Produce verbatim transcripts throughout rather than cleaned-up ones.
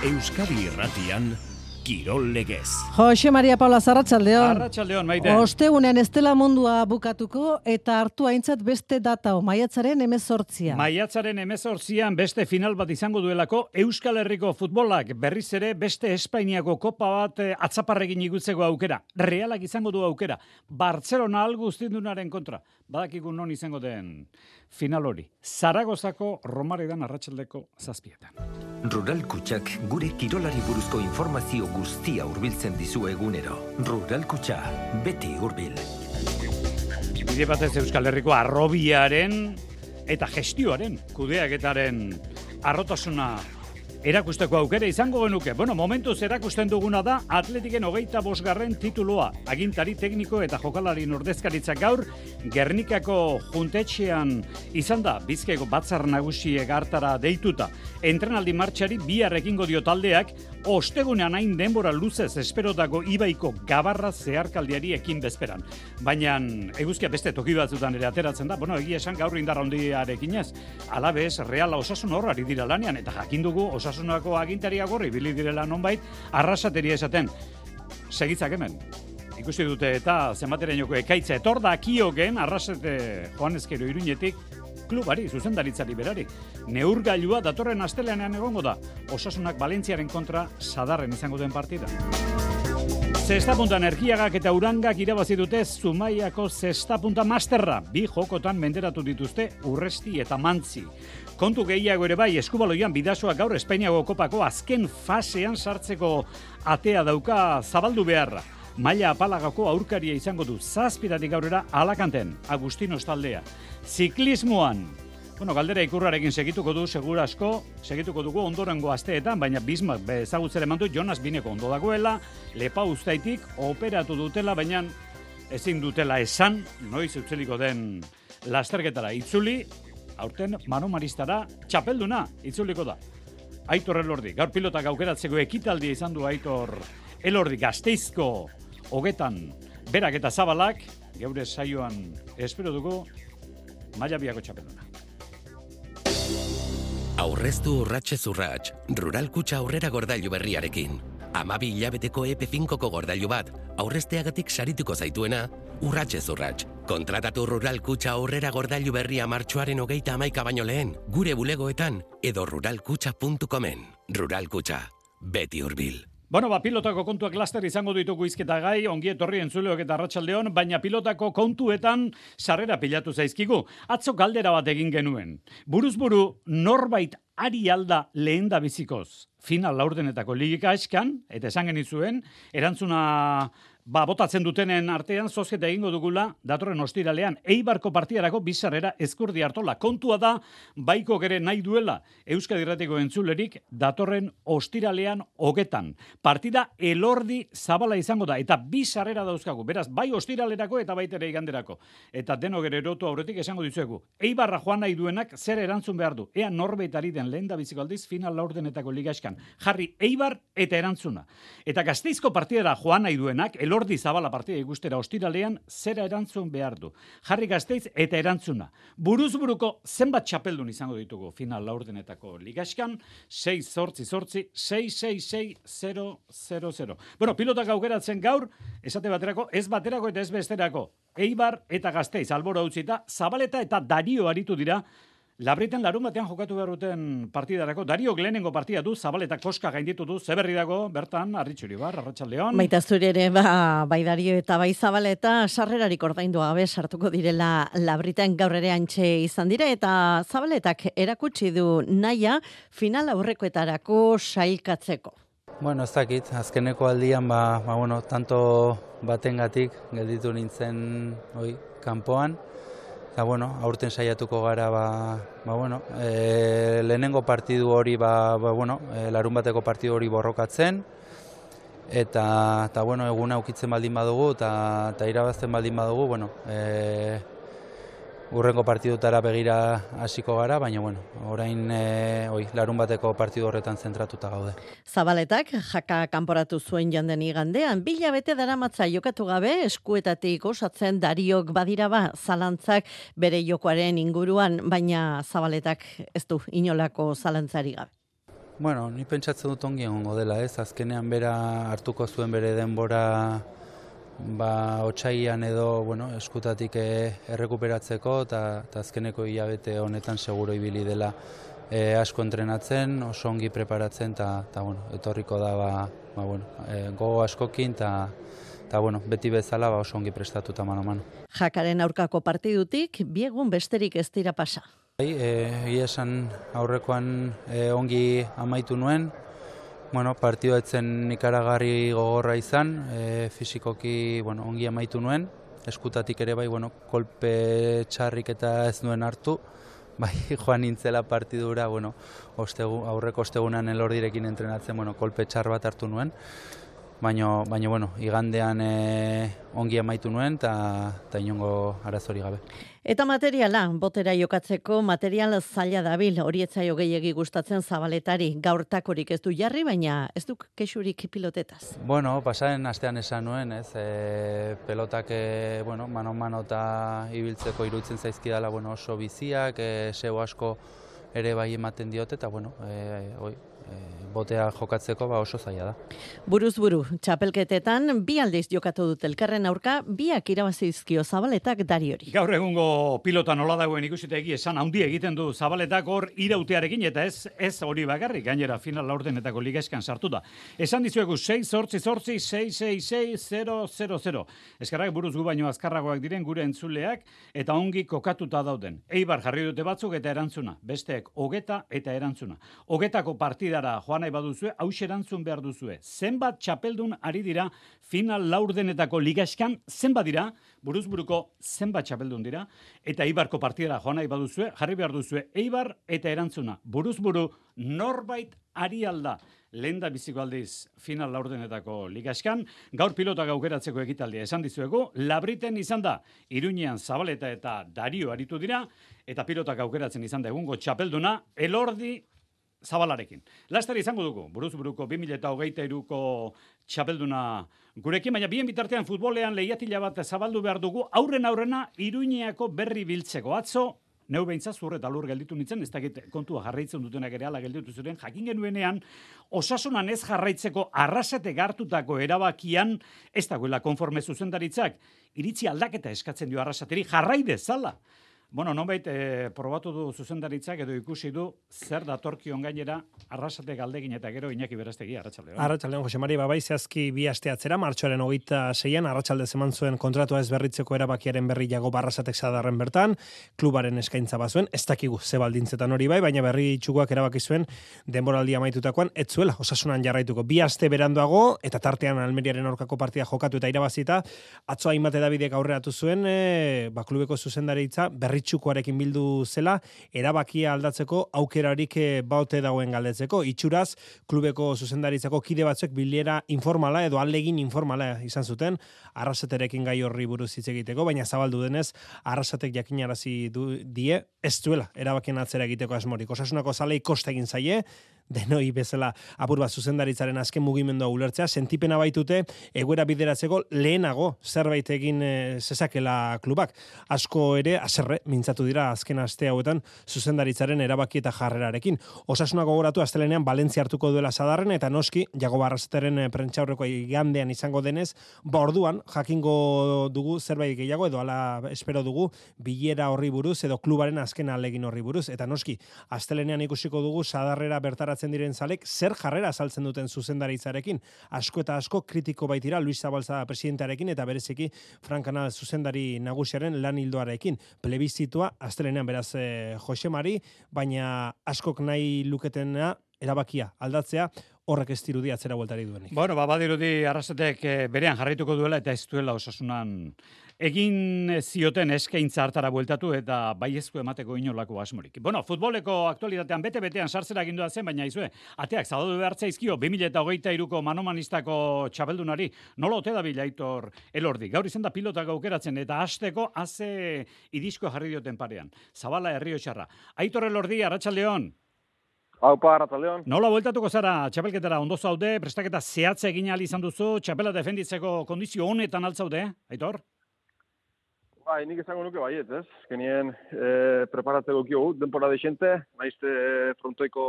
Euskadi Irratian, Kirol Legez. Jose Maria Paula, arratsaldeon. Arratsaldeon, maite. Ostegunean ez dela mundua bukatuko eta hartu aintzat beste data, maiatzaren hemezortzia. Maiatzaren hemezortzian beste final bat izango duelako Euskal Herriko futbolak berriz ere beste Espainiako kopa bat atzaparrekin igutzeko aukera. Realak izango du aukera. Bartzelona alguztindunaren kontra. Badakigu non izango den final hori. Zaragozako Romaredan arratsaldeko zazpietan. Rural Kutxak gure kirolari buruzko informazio guztia hurbiltzen dizu egunero. Rural Kutxa, beti hurbil. Bide batez Euskal Herriko arrobiaren eta gestioaren, kudeaketaren arrotasuna erakusteko aukera izango genuke. Bueno, momentuz erakusten duguna da Atletiken hogeita bosgarren titulua. Agintari tekniko eta jokalari ordezkaritzak gaur Gernikako juntetxean izan da Bizkaiko batzar nagusiek hartara deituta. Entrenaldi martxari bihar ekingo dio taldeak, ostegunean hain denbora luzez esperotako Ibaiko gabarra zeharkaldiari ekin bezperan. Baina eguzkia beste toki batzutan ere ateratzen da. Bueno, egia esan gaur indar handiarekin ez. Alabez, Reala Osasun horrari dira lanean eta jakin dugu Osasunako agintariak horri bili direla nonbait arrasateria esaten. Segitzak hemen. Ikusi dute eta zenbaterainoko ekaitza etor da kioken arrasate Joanezkero Iruñetik klubari, zuzendaritzari berari. Neurgailua datorren asteleanean egongo da. Osasunak Valentziaren kontra sadarren izango den partida. Zestapunta Energiagak eta Urangak irabazi dute Zumaiako Zestapunta Masterra. Bi jokotan menderatu dituzte Urresti eta Mantzi. Kontu gehiago ere bai, Eskubaloian Bidasoak gaur Espainiako kopako azken fasean sartzeko atea dauka zabaldu beharra. Maila apalagako aurkaria izango du zazpiratik aurrera Alakanten, Agustinos taldea. Ziklismoan, bueno, galdera ikurrarekin segituko du, segura asko, segituko dugu ondorengo asteetan, baina Bismarck bezagutzera eman du Jonas Bineko ondo dagoela, lepa uztaitik operatu dutela, baina ezin dutela esan, noiz utzeliko den lasterketara itzuli, aurten Mano Maristara txapelduna itzuliko da. Aitor Elordi, gaur pilotak aukeratzeko ekitaldia izan du Aitor Elordi Gasteizko hogetan berak eta zabalak, geure saioan espero dugu maila biako txapelduna. Aurreztu urratxe zurratx, Rural Kutxa aurrera gordailu berriarekin. Amabi hilabeteko E P finkoko gordailu bat, aurrezteagatik sarituko zaituena, urratxe zurratx. Kontratatu Rural Kutxa aurrera gordailu berria martxoaren hogeita hamaika baino lehen, gure bulegoetan edo ruralkutxa puntu comen. Rural Kutxa, beti hurbil. Bueno, ba, pilotako kontuak laster izango ditugu izketa gai, ongi etorri entzuleok eta arratsaldeon, baina pilotako kontuetan sarrera pilatu zaizkigu. Atzo galdera bat egin genuen. Buruz-buru norbait ari alda lehen da bizikoz final laurdenetako ligika eskan, eta esan genizuen, erantzuna ba, botatzen dutenen artean zozketa egingo dugula datorren ostiralean Eibarko partidarako bizarrera Ezkurdi Artola. Kontua da, baiko gere nahi duela Euskadi Irratiko entzulerik datorren ostiralean hogetan. Partida Elordi Zabala izango da, eta bizarrera dauzkagu. Beraz, bai ostiralerako eta baitere iganderako. Eta denok ere erotu aurretik esango dizuegu. Eibarra joan nahi duenak zer erantzun behar du. Ea norbait ari den lehen da biziko aldiz final laurdenetako ligaeskan. Jarri Eibar eta erantzuna. Eta Gasteizko partidara joan nahi duenak, Elordi Zabala partida ikustera ostiralean zera erantzun behar du. Jarri Gasteiz eta erantzuna. Buruz-buruko zenbat txapeldun izango ditugu final laurdenetako ligaskan, sei zortzi zortzi, sei sei sei zero zero zero. Bueno, pilotak aukeratzen gaur, esate baterako, ez baterako eta ez besterako. Eibar eta Gasteiz albora utzita, Zabaleta eta Dario aritu dira. Labriten larun batean jokatu beharruten partidarako. Dario lehenengo partida du, Zabaletak koska gainditu du, zeberri dago, bertan, Arritxuri bar, arratsaldeon. Baita zuri ere, ba, bai Dario eta bai Zabaleta sarrerarik ordaindu gabe sartuko direla Labriten gaur ere antxe izan dire, eta Zabaletak erakutsi du naia final aurrekoetarako sailkatzeko. Bueno, ez dakit, azkeneko aldian, ba, ba, bueno, tanto batengatik gelditu nintzen hoi, kanpoan. Eta, bueno, aurten saiatuko gara, ba, ba, bueno, e, lehenengo partidu hori, ba, ba, bueno, e, larun bateko partidu hori borrokatzen, eta, eta bueno, eguna ukitzen baldin badugu, eta, eta irabazten baldin badugu, bueno, e, urrengo partidutara begira hasiko gara, baina, bueno, orain e, oi, larun bateko partidu horretan zentratuta gaude. Zabaletak jaka kanporatu zuen janden igandean, bila bete daramatza jokatu gabe, eskuetatik osatzen Dariok badira ba, zalantzak bere jokoaren inguruan, baina Zabaletak ez du inolako zalantzari gabe. Bueno, ni pentsatzen dut ongi egongo dela, ez? Azkenean bera hartuko zuen bere denbora ba otsailean edo, bueno, eskutatik errekuperatzeko eta azkeneko hilabete honetan seguro ibili dela e, asko entrenatzen, oso ongi preparatzen eta ta bueno, etorriko da ba, ba bueno, e, gogo askokin eta eta bueno, beti bezala ba oso ongi prestatuta mano a mano. Jakaren aurkako partidutik bi egun besterik ez dira pasa. Bai, egia esan aurrekoan e, ongi amaitu nuen. Bueno, partidua etzen ikaragarri gogorra izan, e, fisikoki bueno, ongi amaitu nuen, eskutatik ere bai, bueno, kolpe txarrik eta ez nuen hartu, bai, joan nintzela partidura, bueno, ostegu, aurreko ostegunan elordirekin entrenatzen, bueno, kolpe txar bat hartu nuen, baina, baina bueno, igandean e, ongi amaitu nuen eta inongo arazori gabe. Eta materiala, botera jokatzeko material zaila dabil, hori etzaio gehiegi gustatzen Zabaletari, gaurtakorik ez du jarri, baina ez du kexurik pilotetaz. Bueno, pasaren astean esan nuen, ez, e, pelotak, e, bueno, mano-mano eta ibiltzeko iruditzen zaizkidala, bueno, oso biziak, e, zeu asko ere bai ematen diote, eta, bueno, e, oi, e, botea jokatzeko ba oso zaila da. Buruz buru, txapelketetan bi aldiz jokatu dut elkarren aurka, biak irabazi dizkio Zabaletak Dariori. Gaur egungo pilota nola dagoen ikusita egi esan handi egiten du Zabaletak hor irautearekin eta ez ez hori bakarrik, gainera final laurdenetako ligaeskan sartuta. Esan dizuegu sei zortzi zortzi sei sei sei zero zero zero. Eskerrak buruz gu baino azkarragoak diren gure entzuleak eta ongi kokatuta dauden. Eibar jarri dute batzuk eta erantzuna, besteek hogeta eta erantzuna. Hogetako partidara joan nahi baduzue, haus erantzun behar duzue. Zenbat txapeldun ari dira final laurdenetako ligaeskan, zenbat dira, buruzburuko zenbat txapeldun dira, eta Eibarko partidara joan nahi baduzue, jarri behar duzue Eibar eta erantzuna. Buruzburu norbait ari alda. Lehen da biziko aldiz final laurdenetako ligaeskan, gaur pilotak aukeratzeko ekitaldia esan dizuegu, Labriten izan da, Iruñean Zabaleta eta Dario aritu dira, eta pilotak aukeratzen izan da egungo txapelduna, Elordi Zabalarekin. Laster izango dugu, buruzburuko bi mila hogeita hiruko txapelduna gurekin, baina bien bitartean futbolean lehiatila bat zabaldu behar dugu, aurren aurrena Iruñeako berri biltzeko. Atzo, neu behintzat zur eta lur gelditu nintzen, ez dakit kontua jarraitzen dutenak ere ala gelditu ziren, jakin genuenean, osasunan ez jarraitzeko arrasate gartutako erabakian, ez dagoela konforme zuzendaritzak, iritzi aldaketa eskatzen dio arrasateri, jarrai dezala. Bueno, nonbait, eh, probatu du zuzendaritzak edo ikusi du zer datorkion gainera arrasate galdegin eta gero Iñaki Berastegi, arratsaldeon. Arratsaldeon, Jose Mari, babai zehazki bi aste atzera, martxoaren hogeita seian, arratsalde eman zuen kontratua ez berritzeko erabakiaren berri jago Barrasatek Sadarren bertan, klubaren eskaintza bazuen, ez dakigu ze baldintzetan hori bai, baina berri txukoak erabaki zuen denboraldi amaitutakoan, ez zuela, osasunan jarraituko. Bi aste beranduago, eta tartean Almeriaren aurkako partida jokatu eta irabazita, atzo hainbat edabidek aurreratu zuen, e, ba, klubeko zuzendaritza berri txukoarekin bildu zela, erabakia aldatzeko aukerarik baute dagoen galdetzeko. Itxuraz, klubeko zuzendaritzako kide batzuk bilera informala edo alegin informala izan zuten, Arrasaterekin gai horri buruz hitz egiteko, baina zabaldu denez, Arrasatek jakinarazi du die, ez duela erabakien atzera egiteko asmorik. Osasunako zalei kosta egin zaie, denoi bezala apur bat zuzendaritzaren azken mugimendua ulertzea, sentipena baitute egoera bideratzeko lehenago zerbait egin e, zezakela klubak. Asko ere, aserre, mintzatu dira azken aste hauetan zuzendaritzaren erabaki eta jarrerarekin. Osasuna gogoratu astelenean Valentzia hartuko duela Sadarren eta noski Jago Barrasateren prentsaurreko igandean izango denez, ba orduan jakingo dugu zerbait gehiago edo hala espero dugu bilera horri buruz edo klubaren azken alegin horri buruz eta noski astelenean ikusiko dugu Sadarrera bertara diren zalek zer jarrera azaltzen duten zuzendaritzarekin. Asko eta asko kritiko baitira Luis Zabalza presidentearekin eta bereziki Fran Canal zuzendari nagusiaren lan hildoarekin. Plebizitua astelenean beraz eh, Jose Mari, baina askok nahi luketena erabakia aldatzea, horrek ez dirudi atzera bueltari duenik. Bueno, ba, badirudi Arrasatek eh, berean jarraituko duela eta ez duela osasunan egin zioten eskaintza hartara bueltatu eta baiezko emateko inolako asmorik. Bueno, futboleko aktualitatean bete-betean sartzera agindua zen, baina izue, ateak zabaldu behar zaizkio bi mila hogeita hiruko manomanistako txapeldunari, nola ote dabil Aitor Elordi. Gaur izan da pilotak aukeratzen eta hasteko haze idisko jarri dioten parean. Zabala Errioxarra. Aitor Elordi, arratsaldeon. Haupa, arratsaldeon. Nola bueltatuko zara txapelketara ondo zaude, prestaketa zehatza egin ahal izan duzu, txapela defenditzeko kondizio honetan altzaude, Aitor? Bai, nik esango nuke baiet, ez? Genien e, preparatzeko kiogu, denpora deixente, naizte frontoiko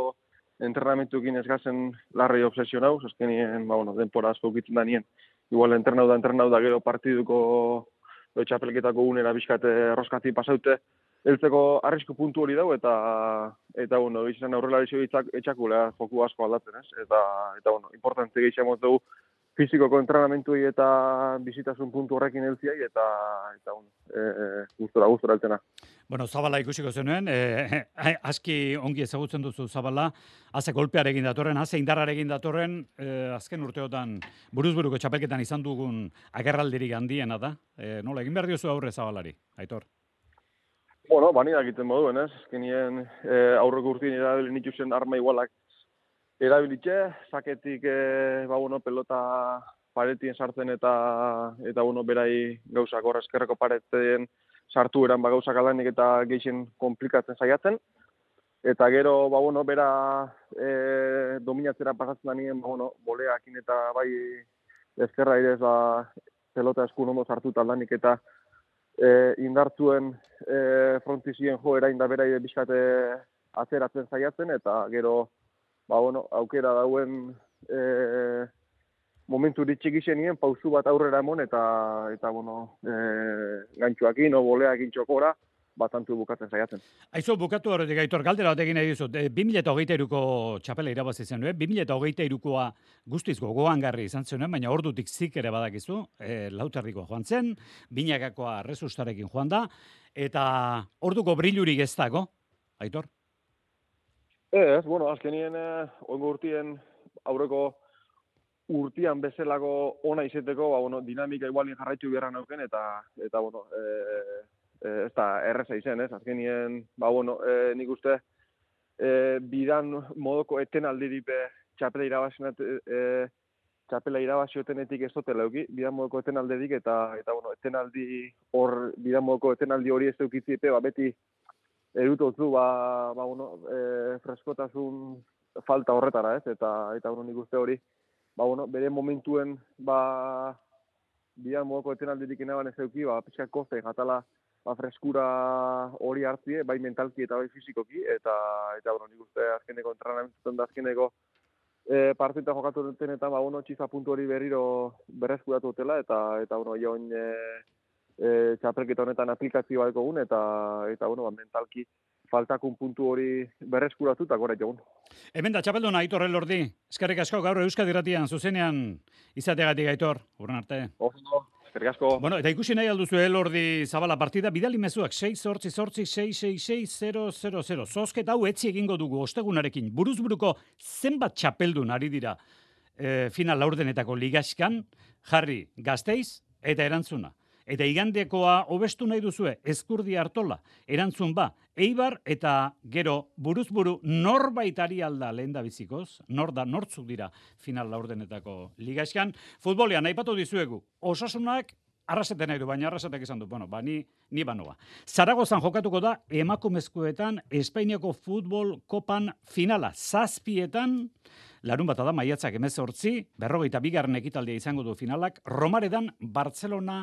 entrenamentuekin ez gazen larrei obsesionau, azkenien, ba, bueno, denpora asko ukitzen da nien. Igual entrenau da, entrenau da, gero partiduko do, txapelketako unera bizkate erroskati pasaute, heltzeko arrisku puntu hori dau, eta, eta bueno, izan aurrela bizio etxakulea joku asko aldatzen, ez? Eta, eta bueno, importante gehiagoz dugu, fizikoko entrenamentuei eta bizitasun puntu horrekin heltziai, eta, eta bueno, e, gustora, gustora heltena. Bueno, Zabala ikusiko zenuen, eh, aski ongi ezagutzen duzu Zabala, haze golpearekin datorren, haze indarrarekin datorren, eh, azken urteotan buruzburuko txapelketan izan dugun agerraldirik handiena da. Eh, nola, egin behar diozu aurre Zabalari, Aitor? Bueno, bani dakiten moduen, ez? Azkenien eh, aurreko urtien erabili nituzen arma igualak erabilitxe, saketik eh, ba, bueno, pelota paretien sartzen eta, eta bueno, berai gauzak horra eskerreko paretien sartu eran ba, gauzak alanik eta geixen komplikatzen saiatzen. Eta gero, ba, bueno, bera e, dominatzera pasatzen da nien, ba, bueno, boleakin eta bai ezkerra irez ba, pelota eskun ondo sartu taldanik eta e, indartzuen e, frontizien jo erain da bera bizkate atzeratzen saiatzen, eta gero, ba, bueno, aukera dauen e, momentu ditxik izenien, pausu bat aurrera emon, eta, eta bueno, e, gantxoakin, o boleakin txokora, batantu bukatzen saiatzen. Aizu, bukatu horretik, Aitor, galdera bat egin nahi dizut. E, bi mila hogeita hiruko txapela irabazi zen, bi mila hogeita hirukoa guztiz gogoangarri izan zen, baina ordutik zik ere badakizu, e, lauterriko joan zen, binakakoa resustarekin joan da, eta orduko brilurik ez dago, Aitor? Ez, bueno, azkenien, eh, ongo urtien, aurreko urtian bezalako ona izeteko, ba, bueno, dinamika igualin jarraitu beharra nauken, eta, eta bueno, e, e, ez da erreza izen, ez? Azkenien, ba, bueno, e, nik uste, e, bidan modoko etenaldirik txapela irabazinet, e, txapela irabaziotenetik ez dutela euki, bidan modoko etenaldirik, eta, eta bueno, etenaldi hor, bidan modoko etenaldi hori ez eukitzipe, ba, beti erutotzu, ba, ba, bueno, e, freskotasun falta horretara, ez? Eta, eta bueno, nik uste hori, ba, bueno, bere momentuen, ba, bidan modoko etenaldirik enaban ez euki, ba, pixka koste, jatala, ba, freskura hori hartzie, bai mentalki eta bai fizikoki, eta, eta, bueno, nik uste azkeneko entrenamentuetan da azkeneko e, partita jokatu duten, eta, ba, bueno, txiza puntu hori berriro berreskuratu dutela, eta, eta, bueno, joan e, e, txapelketa honetan aplikazio bat egun, eta, eta, bueno, ba, mentalki faltakun puntu hori berreskuratu eta gora jogun. Hemen da, txapelduna, Aitor Elordi. Eskerrik asko gaur Euskadi Irratian zuzenean izateagatik, Aitor. Urren arte. Oso, eskerrik asko. Bueno, eta ikusi nahi alduzu Elordi Zabala partida, bidali mezuak sei zortzi zortzi sei sei sei zero zero zero. Zozketa hau etzi egingo dugu ostegunarekin. Buruzburuko zenbat txapeldun ari dira e, final laurdenetako ligaskan, jarri Gasteiz eta erantzuna. Eta igandekoa hobestu nahi duzue, Ezkurdi Artola, erantzun ba, Eibar eta gero buruzburu norbaitari alda lehen da bizikoz, nor da, nortzuk dira final laurdenetako ligaskan. Futbolean, aipatu dizuegu, Osasunak arraseten nahi du, baina arrasetek izan du, bueno, ba, ni, ni banoa. Zaragozan jokatuko da, emakumezkoetan, Espainiako futbol kopan finala, zazpietan, larun bata da, maiatzak emezortzi, berrogeita bigarren ekitaldia izango du finalak, Romaredan, Barcelona,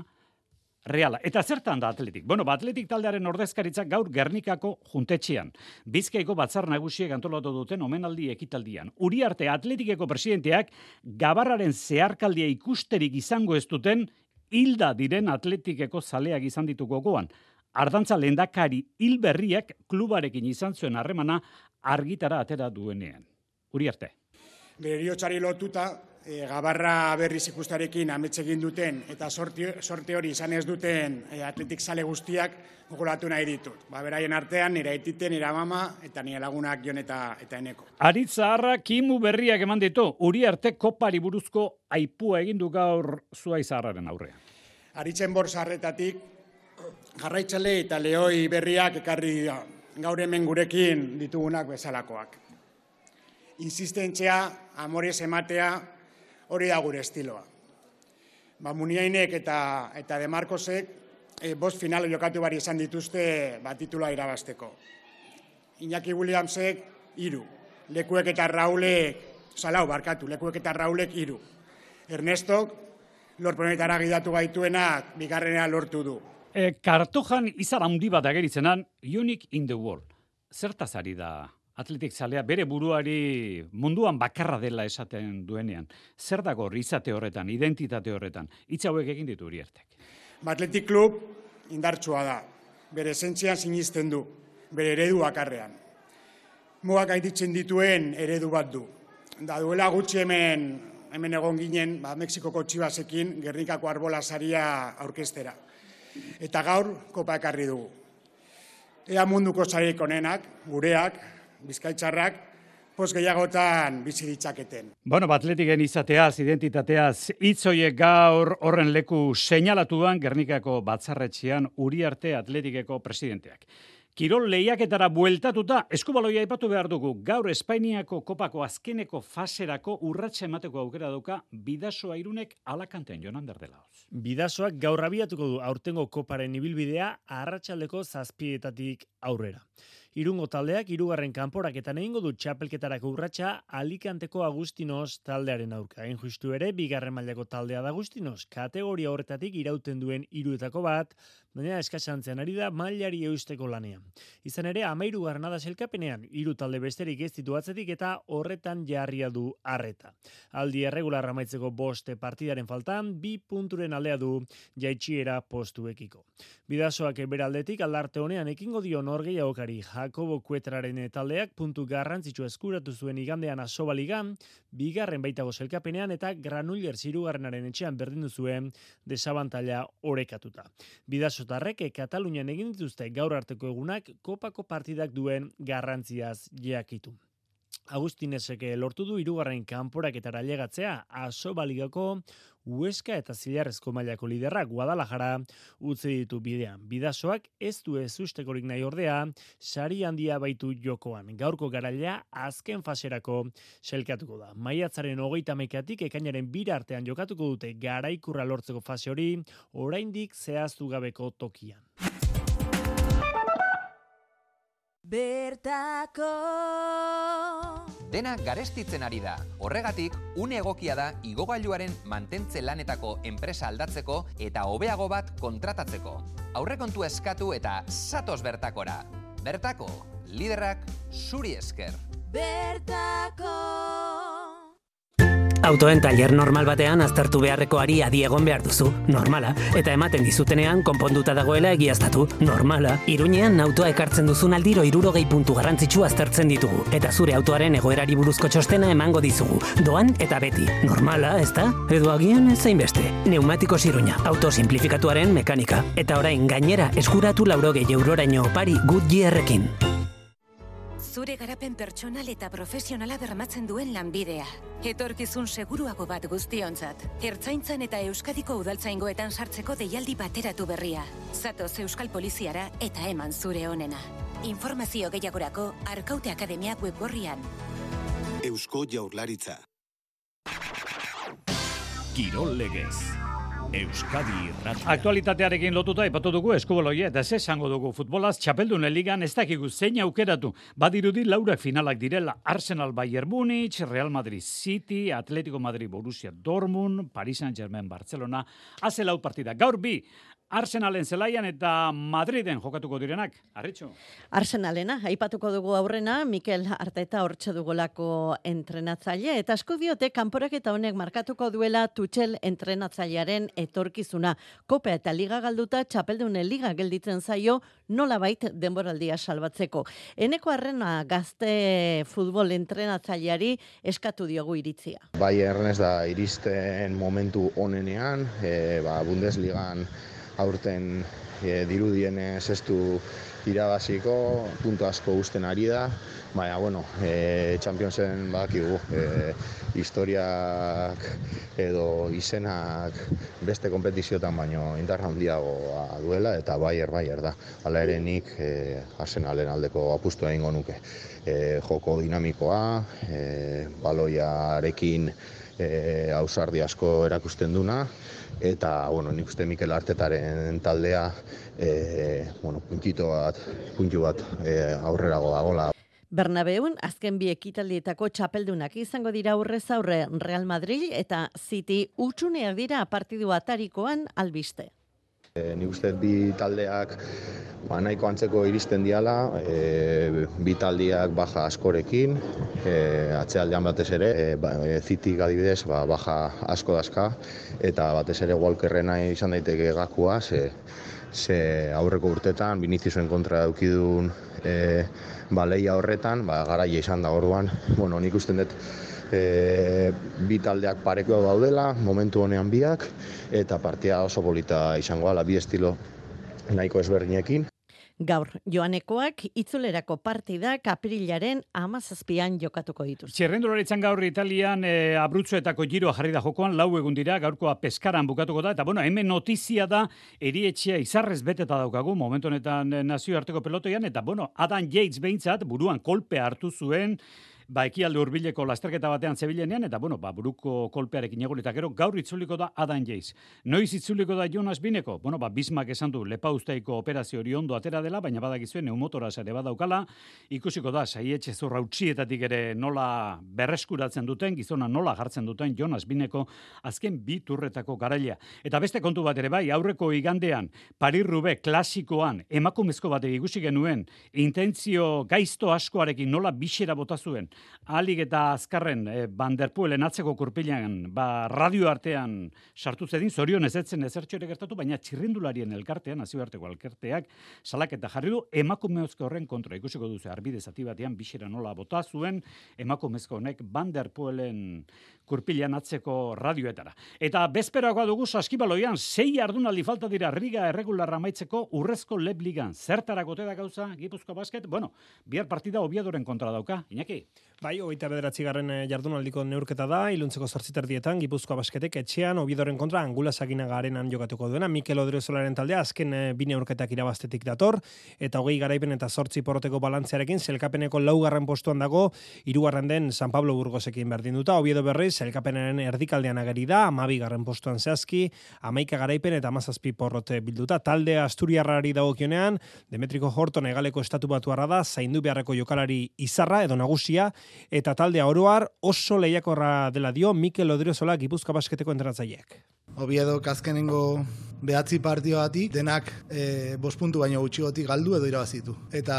Reala. Eta zertan da Atletik? Bueno, ba, Atletik taldearen ordezkaritzak gaur Gernikako juntetxean. Bizkaiko batzar nagusiek antolatu duten omenaldi ekitaldian. Uriarte Atletikeko presidenteak gabarraren zeharkaldia ikusterik izango ez duten hilda diren Atletikeko zaleak izan ditu gogoan. Ardantza lehendakari hil berriak klubarekin izan zuen harremana argitara atera duenean. Uriarte. Beriotzari lotuta, e, gabarra berriz ikustarekin amets egin duten eta sorte, sorte hori izan ez duten e, Atletik zale guztiak gogoratu nahi ditut. Ba, beraien artean, nire aitite, nire mama eta nire lagunak Jon eta, eta Eneko. Aritz Zaharra kimu berriak eman ditu, Uriarte kopari buruzko aipua egin du gaur Zuai Zaharraren aurrean. Aritzen borsarretatik, jarraitzale eta lehoi berriak ekarri gaur hemen gurekin ditugunak bezalakoak. Insistentzia, amorez ematea, hori da gure estiloa. Ba, Muniainek eta, eta De Marcosek e, bost final jokatu bari izan dituzte ba, titula irabazteko. Iñaki Williamsek, hiru. Lekuek eta Raulek, salau, barkatu, Lekuek eta Raulek, hiru. Ernestok, lorponetara gidatu gaituenak, bigarrenea lortu du. E, kartojan izan handi bat ageritzenan, Unique in the World. Zertaz ari da atletik zalea bere buruari munduan bakarra dela esaten duenean. Zer dago izate horretan, identitate horretan? Hitz hauek egin ditu Uriartek. Atletik klub indartsua da, bere esentzian sinisten du, bere eredu bakarrean. Mugak gainditzen dituen eredu bat du. Da duela gutxi hemen, hemen egon ginen, ba, Mexikoko Txibasekin Gernikako Arbola saria aurkeztera. Eta gaur kopa ekarri dugu. Ea munduko sariek onenak, gureak, bizkaitzarrak, poz gehiagotan bizi ditzaketen. Bueno, atletiken izateaz, identitateaz, hitz horiek gaur horren leku seinalatuan Gernikako batzarretxean Uriarte Atletikeko presidenteak. Kirol lehiaketara bueltatuta, eskubaloia aipatu behar dugu, gaur Espainiako kopako azkeneko faserako urratsa emateko aukera dauka Bidasoa Irunek Alakanten Jonan Derdelaoz. Bidasoak gaur abiatuko du aurtengo koparen ibilbidea arratsaldeko zazpietatik aurrera. Irungo taldeak hirugarren kanporaketan egingo du txapelketarako urratsa Alicanteko Agustinos taldearen aurka. Hain justu ere, bigarren mailako taldea da Agustinos, kategoria horretatik irauten duen hiruetako bat, baina eskasantzean ari da mailari eusteko lanean. Izan ere, hamahirugarrena da sailkapenean, hiru talde besterik ez ditu atzetik eta horretan jarria du arreta. Aldi erregular amaitzeko boste partidaren faltan, bi punturen aldea du jaitsiera postuekiko. Bidasoak beraldetik aldarte honean ekingo dio norgehiagokari Jakobo Kuetraren taldeak puntu garrantzitsu eskuratu zuen igandean Asobaligan, bigarren baitago sailkapenean eta Granollers hirugarrenaren etxean berdindu zuen desabantaila orekatuta. Bidasotarrek Katalunian egin dituzte gaur arteko egunak kopako partidak duen garrantziaz jakitu. Agustinesek lortu du hirugarren kanporaketara ailegatzea Asobaligako Huesca eta Zilarrezko mailako liderrak Guadalajara utzi ditu bidean. Bidasoak ez du ezustekorik nahi ordea, sari handia baitu jokoan. Gaurko garailea azken faserako sailkatuko da. Maiatzaren hogeita hamaikatik ekainaren bira artean jokatuko dute garaikurra lortzeko fase hori, oraindik zehaztu gabeko tokian. Bertako Dena garestitzen ari da. Horregatik, une egokia da igogailuaren mantentze lanetako enpresa aldatzeko eta hobeago bat kontratatzeko. Aurrekontua eskatu eta zatoz bertakora. Bertako, liderrak zuri esker. Bertako Autoen taller normal batean aztertu beharrekoari adi egon behar duzu, normala, eta ematen dizutenean konponduta dagoela egiaztatu, normala. Iruñean autoa ekartzen duzun aldiro hirurogei puntu garrantzitsu aztertzen ditugu, eta zure autoaren egoerari buruzko txostena emango dizugu, doan eta beti, normala, ezta? Edo agian ezain beste. Neumatikos Iruña, auto simplifikatuaren mekanika, eta orain gainera eskuratu laurogei euroraino opari Goodyearrekin. Zure garapen pertsonal eta profesionala bermatzen duen lanbidea. Etorkizun seguruago bat guztiontzat. Ertzaintzan eta Euskadiko udaltzaingoetan sartzeko deialdi bateratu berria. Zatoz Euskal Poliziara eta eman zure onena. Informazio gehiagorako Arkaute Akademiak webgorrian. Eusko Jaurlaritza. Kirol legez. Euskadi Irratia. Aktualitatearekin lotuta aipatu dugu eskubaloia eta ze esango dugu futbolaz txapeldunen ligan ez dakigu zein aukeratu. Badirudi laurak finalak direla Arsenal Bayern Munich, Real Madrid City, Atletico Madrid Borussia Dortmund, Paris Saint-Germain Barcelona, haze lau partida. Gaur bi, Arsenalen zelaian eta Madriden jokatuko direnak. Arritxo. Arsenalena, aipatuko dugu aurrena, Mikel Arteta hortxe dugolako entrenatzaile, eta asko diote kanporaketa honek markatuko duela Tuchel entrenatzailearen etorkizuna. Kopa eta liga galduta, txapeldunen liga gelditzen zaio, nolabait denboraldia salbatzeko. Eneko Arrena gazte futbol entrenatzaileari eskatu diogu iritzia. Bayern ez da iristen momentu onenean, e, ba, Bundesligan aurten e, dirudienez ez du irabaziko, puntu asko uzten ari da, baina, bueno, e, Championsen bakigu, e, historiak edo izenak beste kompetiziotan baino indarra handiagoa duela, eta Bayern Bayern da. Hala ere nik e, Arsenalen aldeko apustua egingo nuke. E, joko dinamikoa, e, baloiarekin e, ausardi asko erakusten duna, eta, bueno, nik uste Mikel Artetaren taldea e, bueno, puntito bat, puntu bat e, aurrerago dagoela. Bernabeun, azken bi ekitaldietako txapeldunak izango dira aurrez aurre Real Madrid eta City utxuneak dira partidu atarikoan albiste. E, nik uste bi taldeak ba, nahiko antzeko iristen diala, e, bi taldeak baja askorekin, e, atzealdean batez ere, e, ba, e, Zitik adibidez ba, baja asko dazka, eta batez ere Walkerrena izan daiteke gakua, ze, ze aurreko urtetan Viniciusen kontra daukidun e, ba, lehia horretan, ba, garaia izan da orduan, bueno, nik uste dut e, bi taldeak pareko daudela, momentu honean biak, eta partia oso polita izango ala, bi estilo nahiko ezberdinekin. Gaur, joanekoak itzulerako partidak aprilaren hamazazpian jokatuko dituz. Txerrendularitzan gaur Italian e, abrutzuetako giroa jarri da jokoan, lau egun dira, gaurkoa Peskaran bukatuko da, eta bueno, hemen notizia da, erietxea izarrez beteta daukagu, momentu honetan nazioarteko pelotoian, eta bueno, Adam Yates behintzat, buruan kolpea hartu zuen, ba, ekialde hurbileko lasterketa batean zebilenean, eta bueno, ba, buruko kolpearekin egon, eta gero gaur itzuliko da Adam Yates. Noiz itzuliko da Jonas Bineko? Bueno, ba, Bismak esan du lepausteiko operazio hori ondo atera dela, baina badakizuen neumotoraz ere badaukala, ikusiko da, saietxe zurra utxietatik ere nola berreskuratzen duten, gizona nola jartzen duten Jonas Bineko azken bi turretako garailea. Eta beste kontu bat ere bai, aurreko igandean, Paris-Roubaix klasikoan, emakumezko batek ikusi genuen, intentzio gaizto askoarekin nola bisera bota zuen, alik eta azkarren e, Van der Poelen atzeko kurpilan ba, radio artean sartu zedin, zorion ez etzen ezertxore gertatu, baina txirrindularien elkartean, nazioarteko elkarteak, salaketa jarri du emakumezko horren kontra. Ikusiko duzu, arbide zati batean bisera nola bota zuen, emakumezko honek Van der Poelen kurpilan atzeko radioetara. Eta bezperakoa dugu saskibaloian, sei jardunaldi falta dira Riga erregularra amaitzeko urrezko Lebligan. Zertarako te da gauza Gipuzkoa Basket? Bueno, bihar partida Oviadoren kontra dauka. Iñaki? Bai, hogeita bederatzigarren jardunaldiko neurketa da, iluntzeko zortziterdietan, Gipuzkoa Basketek etxean, Oviadoren kontra Angula Saginaga arenan jokatuko duena, Mikel Odriozolaren taldea azken bi neurketak irabaztetik dator, eta hogei garaipen eta zortzi porroteko balantzearekin, zelkapeneko laugarren postuan dago, hirugarren den San Pablo Burgosekin berdinduta, Oviedo berriz, zelkapenaren erdikaldean ageri da, hamabigarren postuan zehazki, hamaika garaipen eta hamazazpi porrote bilduta, talde Asturiarrari dagokionean, Demetriko Horton egaleko estatu batuarra da, zaindu beharreko jokalari izarra edo nagusia, eta taldea oroar oso lehiakorra dela dio Mikel Odriozola Gipuzkoa Basketeko entrenatzaileak. Oviedo azkenengo behatzi partioatik denak e, bost puntu baino gutxigotik galdu edo irabazitu. Eta,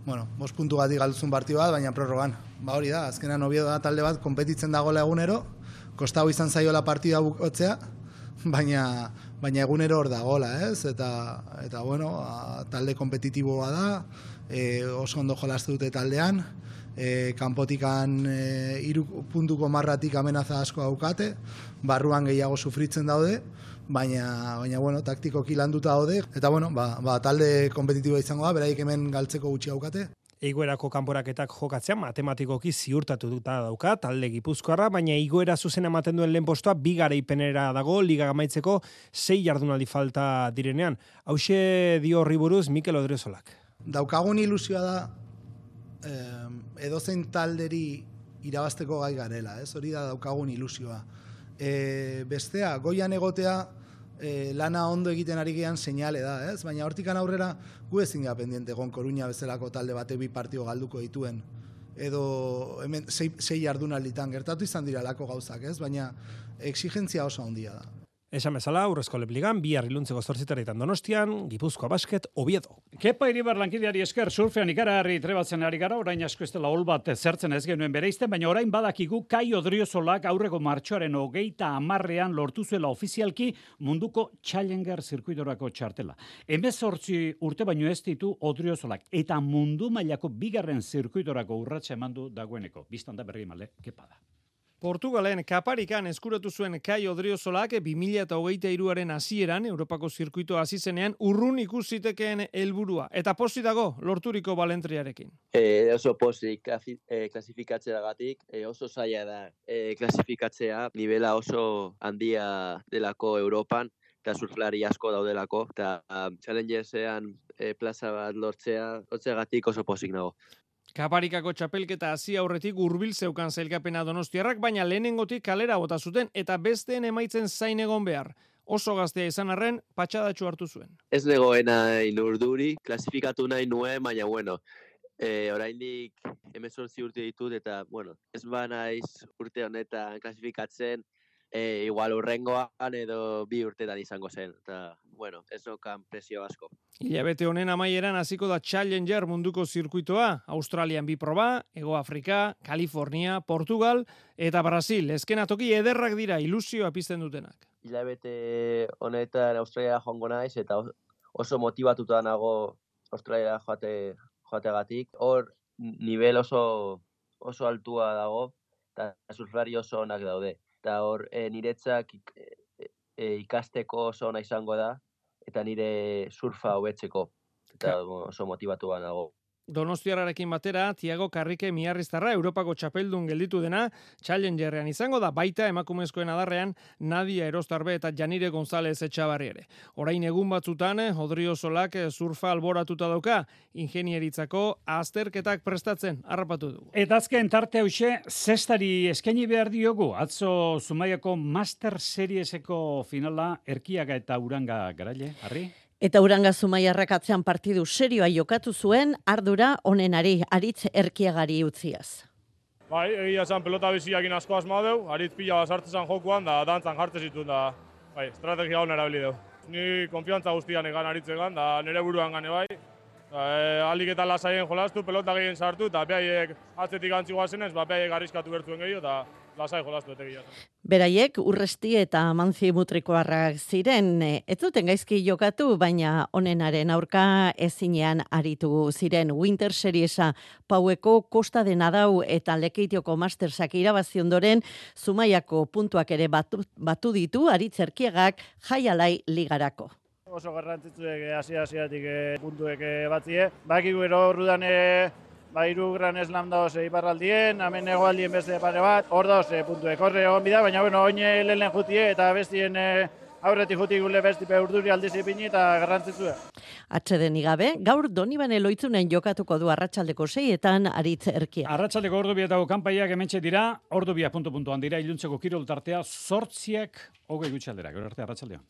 bueno, bost puntu gatik galduzun partio bat, baina prorrogan. Ba hori da, azkenan Oviedo da talde bat konpetitzen dagoela egunero, kostau izan zaiola partida bukotzea, baina baina egunero hor dagoela, ez? Eta, eta bueno, a, talde kompetitiboa da, e, oso ondo jolastu dute taldean, E, kanpotikan e, iru puntuko marratik amenaza asko daukate, barruan gehiago sufritzen daude, baina, baina bueno, taktikoki landuta daude, eta bueno, ba, ba, talde kompetitiboa izango da, beraik hemen galtzeko gutxi daukate. Igoerako kanporaketak jokatzea matematikoki ziurtatuta dauka talde Gipuzkoarra, baina igoera zuzena ematen duen lehen postua bi garaipenera dago liga amaitzeko sei jardunaldi falta direnean. Hauxe dio horri buruz Mikel Odriozolak. Daukagun ilusioa da eh, edozein talderi irabazteko gai garela, ez? Hori da daukagun ilusioa. E, bestea, goian egotea e, lana ondo egiten ari gean seinale da, ez? Baina hortikan aurrera gu ezin gara pendiente egon Koruña bezalako talde bate bi partio galduko dituen. Edo hemen sei, sei jardunalditan gertatu izan dira lako gauzak, ez? Baina exigentzia oso handia da. Esan bezala, Urrezko Lepligan, bihar iluntzeko zortzitaretan Donostian, Gipuzkoa Basket, Oviedo. Kepa Iribar lankideari esker, surfean ikaragarri trebatzen ari gara, orain asko ez dela hol bat zertzen ez genuen bereizten, baina orain badakigu Kai Odriozolak aurreko martxoaren hogeita hamarrean lortu zuela ofizialki munduko Challenger zirkuitorako txartela. Hemezortzi urte baino ez ditu Odriozolak, eta mundu mailako bigarren zirkuitorako urratsa eman du dagoeneko. Bistan da berri male, kepa da. Portugalen kaparikan eskuratu zuen Kai Odriozolak bi mila hogeita hiruaren hasieran Europako zirkuito hasi zenean urrun ikusitekeen helburua eta posi dago lorturiko balentriarekin. E, oso posi e, klasifikatzeagatik e, oso zaila da e, klasifikatzea nivela oso handia delako Europan eta surflari asko daudelako eta um, Challengersean e, plaza bat lortzea lortzeagatik oso posik nago. Kaparikako txapelketa hasi aurretik hurbil zeukan sailkapena Donostiarrak, baina lehenengotik kalera bota zuten eta besteen emaitzen zain egon behar. Oso gaztea izan arren, patxadatxo hartu zuen. Ez negoena inurduri, klasifikatu nahi nuen, baina bueno, e, oraindik hemezortzi urte ditut eta bueno, ez ba naiz urte honetan klasifikatzen, e, igual urrengoan edo bi urtetan izango zen. Eta bueno, ez nokan presio asko. Hilabete honen amaieran hasiko da Challenger munduko zirkuitoa, Australian bi proba, Hego Afrika, Kalifornia, Portugal eta Brasil. Eskenatoki ederrak dira ilusioa pizten dutenak. Hilabete honetan Australia joango naiz eta oso motibatuta nago Australia joate joategatik. Hor nivel oso oso altua dago eta surflari oso onak daude. Eta hor e, niretzak e, e, ikasteko oso ona izango da eta nire surfa hobetzeko. Eta oso motibatua nago. Donostiarrarekin batera, Tiago Karrike Miarriztarra Europako txapeldun gelditu dena Challengerrean izango da, baita emakumezkoen adarrean Nadia Erostarbe eta Janire González Etxabarri ere. Orain egun batzutan, Odriosolak surfa alboratuta dauka, ingenieritzako azterketak prestatzen, harrapatu dugu. Eta azken tarte hause, zestari eskaini behar diogu, atzo Zumaiako Master Serieseko finala Erkiaga eta Uranga garaile, Harri? Eta Uranga Zumaiarrak atzean partidu serioa jokatu zuen, ardura onenari Aritz Erkiagari utziaz. Bai, egia esan pelota biziakin asko asma deu, Aritz pila sartzezan jokuan, da dantzan jartze zituen, da bai, estrategia hona erabili deu. Ni konfiantza guztian egan Aritzegan, da nire buruan gane bai. Da, e, alik eta lasaien jolastu, pelota gehien sartu, eta behaiek atzetik antzi guazenez, ba, behaiek arriskatu bertuen gehiago, eta lasai jolastu etegia. Beraiek Urresti eta Manzi Mutrikoarrak ziren, ez duten gaizki jokatu, baina onenaren aurka ezinean aritu ziren. Winter Seriesa Paueko Kosta de Nadau eta Lekeitioko Mastersak irabazi ondoren Zumaiako puntuak ere batu, batu ditu Aritz Erkiagak Jaialai ligarako. Oso garrantzitsuek hasi-hasiatik puntuek batzie. Bakigu ero orduan ba hiru Gran Slam daoz iparraldien, hemen hegoaldien beste pare bat, hor daoz puntuek horre egon bida, baina bueno, oin lehen jutie eta bestien aurretik jutik gule bestipe urduri aldiz ipini eta garrantzitsua. Atxeden igabe, gaur Donibane Loitzunen jokatuko du arratsaldeko seietan Aritz Erkia. Arratsaldeko ordu bietako kanpaiak hementxe dira, ordu bia puntu-puntuan dira, iluntzeko kirol tartea, zortziak hogei gutxaldera, gero arte arratsaldean.